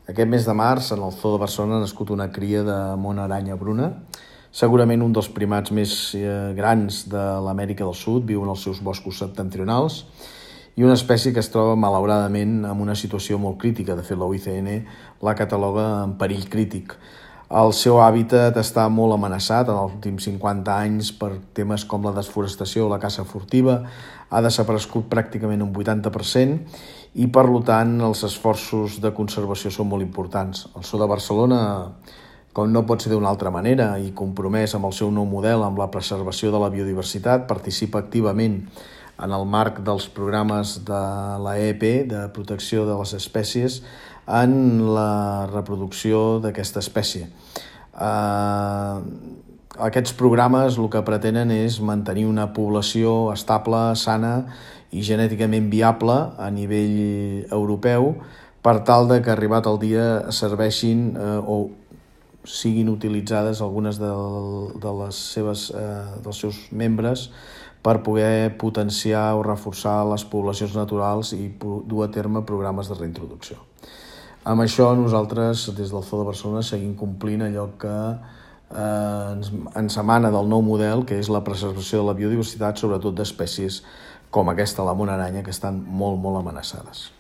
Aquest mes de març, en el Zoo de Barcelona, ha nascut una cria de mona aranya bruna, segurament un dels primats més grans de l'Amèrica del Sud, viu en els seus boscos septentrionals, i una espècie que es troba, malauradament, en una situació molt crítica. De fet, la UICN la cataloga en perill crític. El seu hàbitat està molt amenaçat en els últims 50 anys per temes com la desforestació o la caça furtiva. Ha desaparegut pràcticament un 80% i, per tant, els esforços de conservació són molt importants. El Zoo de Barcelona, com no pot ser d'una altra manera, i compromès amb el seu nou model amb la preservació de la biodiversitat, participa activament en el marc dels programes de l'EEP, de protecció de les espècies, en la reproducció d'aquesta espècie. Aquests programes el que pretenen és mantenir una població estable, sana i genèticament viable a nivell europeu, per tal de que, arribat el dia, serveixin o siguin utilitzades algunes dels seus membres per poder potenciar o reforçar les poblacions naturals i dur a terme programes de reintroducció. Amb això nosaltres, des del Zoo de Barcelona, seguim complint allò que ens emana del nou model, que és la preservació de la biodiversitat, sobretot d'espècies com aquesta, la mona aranya, que estan molt, molt amenaçades.